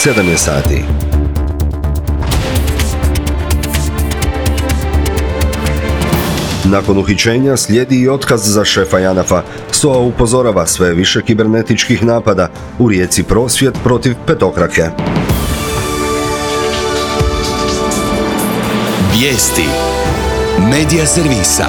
7 je sati. Nakon uhićenja slijedi i otkaz za šefa JANAF-a. SOA upozorava sve više kibernetičkih napada. U Rijeci prosvjed protiv petokrake. Vijesti Medija servisa.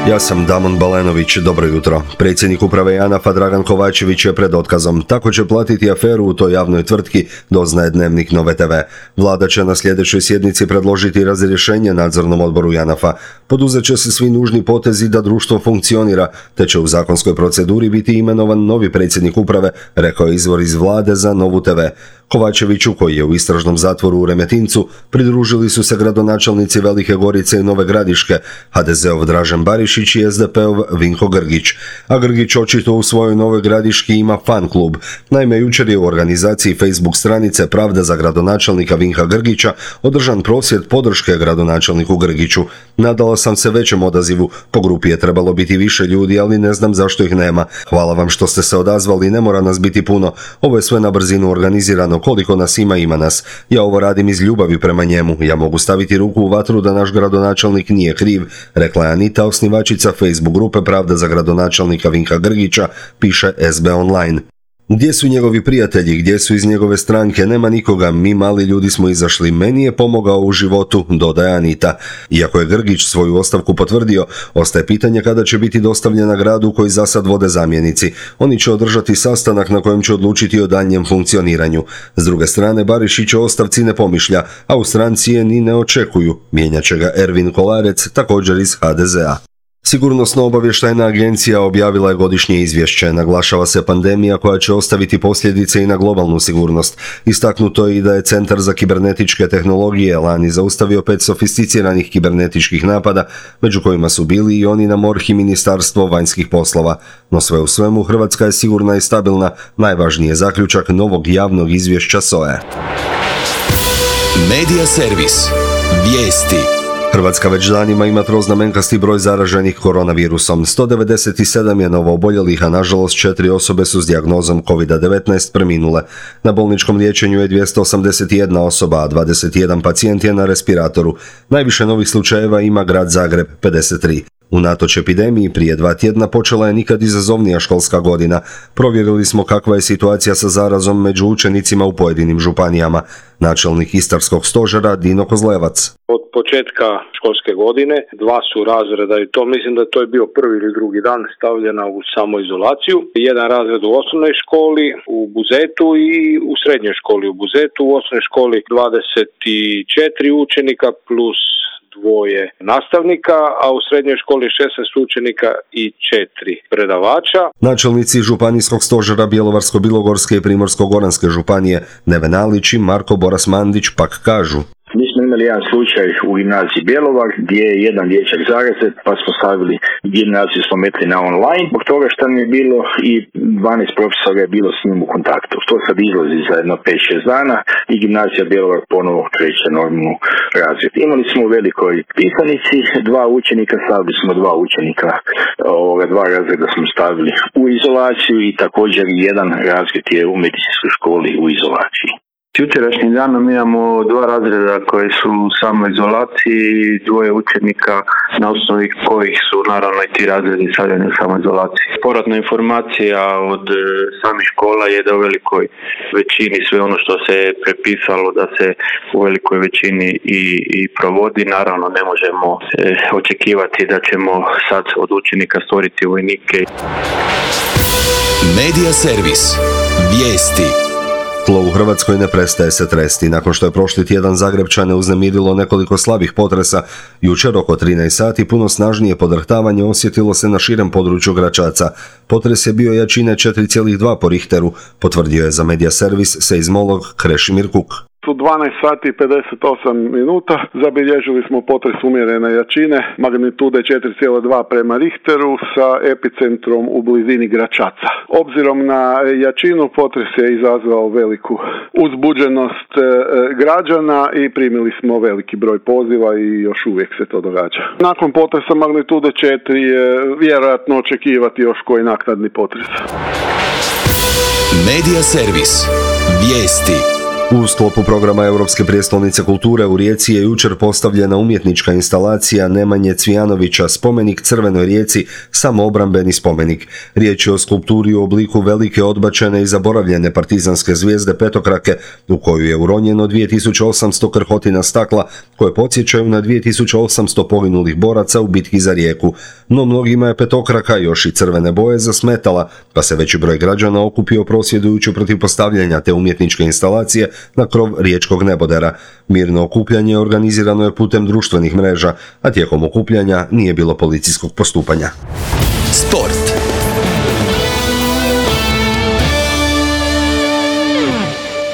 Ja sam Damon Balenović, dobro jutro. Predsjednik uprave JANAF-a Dragan Kovačević je pred otkazom. Tako će platiti aferu u toj javnoj tvrtki, doznaje Dnevnik Nove TV. Vlada će na sljedećoj sjednici predložiti razrješenje nadzornom odboru JANAF-a. Poduzet će se svi nužni potezi da društvo funkcionira, te će u zakonskoj proceduri biti imenovan novi predsjednik uprave, rekao je izvor iz Vlade za Novu TV. Kovačeviću, koji je u istražnom zatvoru u Remetincu, pridružili su se gradonačelnici Velike Gorice i Nove Gradiške, HDZ-ov Dražen Barišić i SDP-ov Vinko Grgić. A Grgić očito u svojoj Novoj Gradiški ima fan klub. Naime, jučer je u organizaciji Facebook stranice Pravda za gradonačelnika Vinka Grgića održan prosvjed podrške gradonačelniku Grgiću. Nadala sam se većem odazivu, po grupi je trebalo biti više ljudi, ali ne znam zašto ih nema. Hvala vam što ste se odazvali, ne mora nas biti puno. Ovo je sve na brzinu organizirano. Koliko nas ima nas. Ja ovo radim iz ljubavi prema njemu. Ja mogu staviti ruku u vatru da naš gradonačelnik nije kriv, rekla je Anita, osnivačica Facebook grupe Pravda za gradonačelnika Vinka Grgića, piše SB Online. Gdje su njegovi prijatelji, gdje su iz njegove stranke, nema nikoga, mi mali ljudi smo izašli, meni je pomogao u životu, dodaje Anita. Iako je Grgić svoju ostavku potvrdio, ostaje pitanje kada će biti dostavljena gradu koji za sad vode zamjenici. Oni će održati sastanak na kojem će odlučiti o daljnjem funkcioniranju. S druge strane, Barišić o ostavci ne pomišlja, a u stranci je ni ne očekuju. Mijenjat će ga Ervin Kolarec, također iz HDZ-a. Sigurnosno-obavještajna agencija objavila je godišnje izvješće. Naglašava se pandemija koja će ostaviti posljedice i na globalnu sigurnost. Istaknuto je i da je Centar za kibernetičke tehnologije lani zaustavio 5 sofisticiranih kibernetičkih napada, među kojima su bili i oni na MORH i Ministarstvo vanjskih poslova. No sve u svemu, Hrvatska je sigurna i stabilna, najvažniji je zaključak novog javnog izvješća SOA-e. Medija servis. Vijesti. Hrvatska već danima ima troznamenkasti broj zaraženih koronavirusom. 197 je novooboljelih, a nažalost 4 osobe su s dijagnozom COVID-19 preminule. Na bolničkom liječenju je 281 osoba, a 21 pacijent je na respiratoru. Najviše novih slučajeva ima grad Zagreb, 53. Unatoč epidemiji, prije 2 tjedna počela je nikad izazovnija školska godina. Provjerili smo kakva je situacija sa zarazom među učenicima u pojedinim županijama. Načelnik Istarskog stožera Dino Kozlevac. Od početka školske godine 2 su razreda i to mislim da to je bio prvi ili drugi dan stavljena u samoizolaciju. Jedan razred u osnovnoj školi u Buzetu i u srednjoj školi u Buzetu. U osnovnoj školi 24 učenika plus 2 nastavnika, a u srednjoj školi 16 učenika i 4 predavača. Načelnici Županijskog stožera Bjelovarsko-bilogorske i Primorsko-goranske županije Neven Alić i Marko Boras-Mandić pak kažu: Mi smo imali jedan slučaj u gimnaziji Bjelovar gdje je jedan dječak zarazet, pa smo stavili gimnaziju smo metli na online, zbog toga što mi je bilo i 12 profesora je bilo s njim u kontaktu. To sad izlazi za jedno 5-6 dana i gimnazija Bjelovar ponovo kreće normalnu razred. Imali smo u Velikoj Pisanici 2 učenika, stavili smo 2 učenika, 2 razreda smo stavili u izolaciju i također jedan razred je u medicinskoj školi u izolaciji. Jučerašnjim danom imamo 2 razreda koji su u samoizolaciji i 2 učenika na osnovi kojih su naravno i ti razredi stavljeni u samoizolaciji. Povratna informacija od samih škola je da u velikoj većini sve ono što se je prepisalo da se u velikoj većini i provodi. Naravno ne možemo očekivati da ćemo sad od učenika stvoriti vojnike. Medija servis. Vijesti. Tlo u Hrvatskoj ne prestaje se tresti. Nakon što je prošli tjedan Zagrepčane uznemirilo nekoliko slabih potresa, jučer oko 13 sati puno snažnije podrhtavanje osjetilo se na širem području Gračaca. Potres je bio jačine 4,2 po Richteru, potvrdio je za Medija servis seizmolog Krešimir Kuk. U 12 sati i 58 minuta zabilježili smo potres umjerene jačine, magnitude 4,2 prema Richteru sa epicentrom u blizini Gračaca. Obzirom na jačinu potres je izazvao veliku uzbuđenost građana i primili smo veliki broj poziva i još uvijek se to događa. Nakon potresa magnitude 4 je vjerojatno očekivati još koji naknadni potres. Medija servis. Vijesti. U sklopu programa Europske prijestolnice kulture u Rijeci je jučer postavljena umjetnička instalacija Nemanje Cvijanovića Spomenik Crvenoj Rijeci, samoobrambeni spomenik. Riječ je o skulpturi u obliku velike odbačene i zaboravljene partizanske zvijezde petokrake, u koju je uronjeno 2800 krhotina stakla, koje podsjećaju na 2800 poginulih boraca u bitki za Rijeku. No mnogima je petokraka, još i crvene boje, zasmetala, pa se veći broj građana okupio prosvjedujući protiv postavljanja te umjetničke instalacije na krov riječkog nebodera. Mirno okupljanje organizirano je putem društvenih mreža, a tijekom okupljanja nije bilo policijskog postupanja. Sport.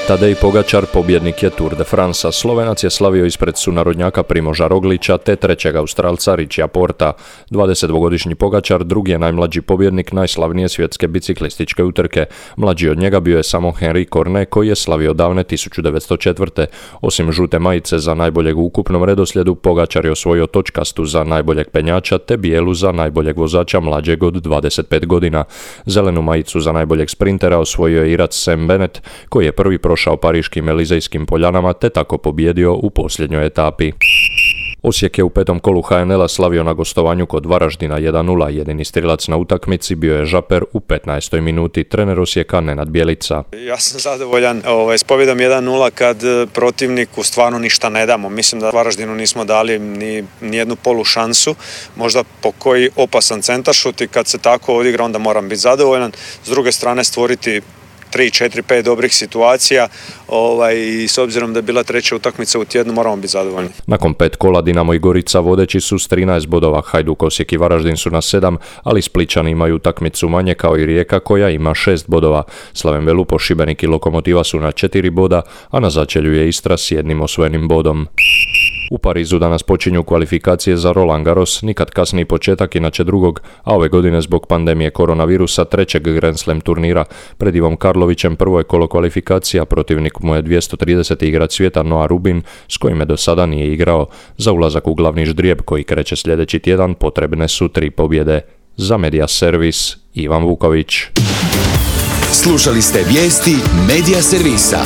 Tadej Pogačar pobjednik je Tour de France. Slovenac je slavio ispred sunarodnjaka Primoža Roglića te trećeg Australca Richija Porta. 22-godišnji Pogačar drugi je najmlađi pobjednik najslavnije svjetske biciklističke utrke. Mlađi od njega bio je samo Henri Cornet, koji je slavio davne 1904. Osim žute majice za najboljeg u ukupnom redoslijedu, Pogačar je osvojio točkastu za najboljeg penjača te bijelu za najboljeg vozača mlađeg od 25 godina. Zelenu majicu za najboljeg sprintera osvojio je Irac Sam Bennett, koji je prvi prošao pariškim Elizejskim poljanama te tako pobjedio u posljednjoj etapi. Osijek je u petom kolu HNL-a slavio na gostovanju kod Varaždina 1:0. Jedini strilac na utakmici bio je Žaper u 15. minuti. Trener Osijeka Nenad Bjelica. Ja sam zadovoljan s pobjedom 1:0 kad protivniku stvarno ništa ne damo. Mislim da Varaždinu nismo dali ni jednu polu šansu. Možda po koji opasan centaršut i kad se tako odigra onda moram biti zadovoljan. S druge strane stvoriti 3, 4, 5 dobrih situacija i s obzirom da je bila treća utakmica u tjednu moramo biti zadovoljni. Nakon 5 kola Dinamo i Gorica vodeći su s 13 bodova, Hajduk, Osijek i Varaždin su na 7, ali Splićani imaju utakmicu manje kao i Rijeka koja ima 6 bodova. Slaven Velupo, Šibenik i Lokomotiva su na 4 boda, a na začelju je Istra s 1 osvojenim bodom. U Parizu danas počinju kvalifikacije za Roland Garros, nikad kasniji početak inače drugog, a ove godine zbog pandemije koronavirusa trećeg Grand Slam turnira. Pred Ivom Karlovićem prvo je kolo kvalifikacija, protivnik mu je 230. igrač svijeta Noah Rubin, s kojime do sada nije igrao. Za ulazak u glavni ždrijeb koji kreće sljedeći tjedan potrebne su 3 pobjede. Za Media Servis, Ivan Vuković. Slušali ste vijesti Media Servisa.